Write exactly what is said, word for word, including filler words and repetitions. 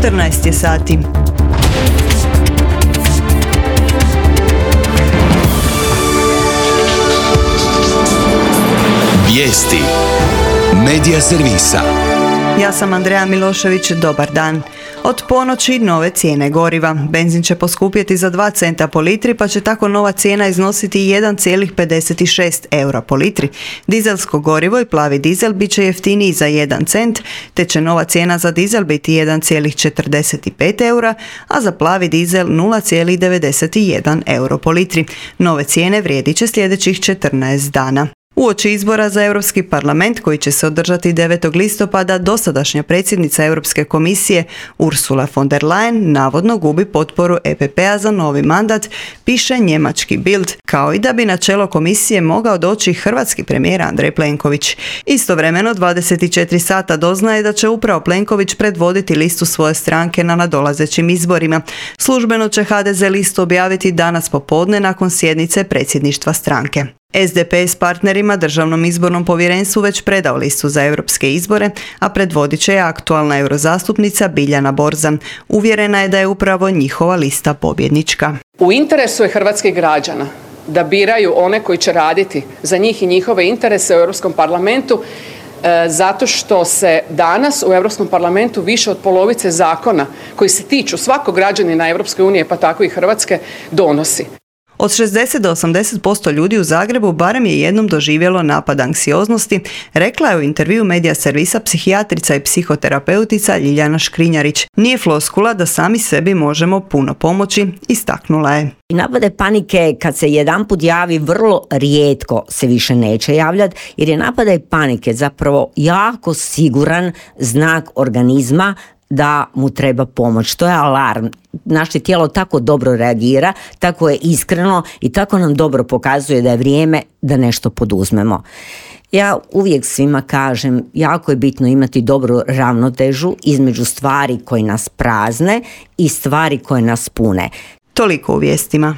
četrnaest je sati. Vijesti Medija servisa. Ja sam Andreja Milošević, dobar dan. Od ponoći nove cijene goriva. Benzin će poskupjeti za dva centa po litri, pa će tako nova cijena iznositi jedan zarez pedeset šest eura po litri. Dizelsko gorivo i plavi dizel bit će jeftiniji za jedan cent, te će nova cijena za dizel biti jedan zarez četrdeset pet eura, a za plavi dizel nula zarez devedeset jedan euro po litri. Nove cijene vrijedit će sljedećih četrnaest dana. Uoči izbora za Europski parlament koji će se održati devetog listopada, dosadašnja predsjednica Europske komisije Ursula von der Leyen navodno gubi potporu E P P-a za novi mandat, piše njemački Bild, kao i da bi na čelo komisije mogao doći hrvatski premijer Andrej Plenković. Istovremeno dvadeset četiri sata doznaje da će upravo Plenković predvoditi listu svoje stranke na nadolazećim izborima. Službeno će H D Z listu objaviti danas popodne nakon sjednice predsjedništva stranke. S D P s partnerima Državnom izbornom povjerenstvu već predao listu za europske izbore, a predvodit će je aktualna eurozastupnica Biljana Borzan. Uvjerena je da je upravo njihova lista pobjednička. U interesu je hrvatskih građana da biraju one koji će raditi za njih i njihove interese u Europskom parlamentu, e, zato što se danas u Europskom parlamentu više od polovice zakona koji se tiču svakog građanina Europske unije, pa tako i Hrvatske, donosi. Od šezdeset do osamdeset posto ljudi u Zagrebu barem je jednom doživjelo napad anksioznosti, rekla je u intervju Medija servisa psihijatrica i psihoterapeutica Ljiljana Škrinjarić. Nije floskula da sami sebi možemo puno pomoći, istaknula je. I napade panike kad se jedanput javi vrlo rijetko se više neće javljati, jer je napadaj panike zapravo jako siguran znak organizma da mu treba pomoć. To je alarm. Naše tijelo tako dobro reagira, tako je iskreno i tako nam dobro pokazuje da je vrijeme da nešto poduzmemo. Ja uvijek svima kažem, jako je bitno imati dobru ravnotežu između stvari koje nas prazne i stvari koje nas pune. Toliko u vijestima.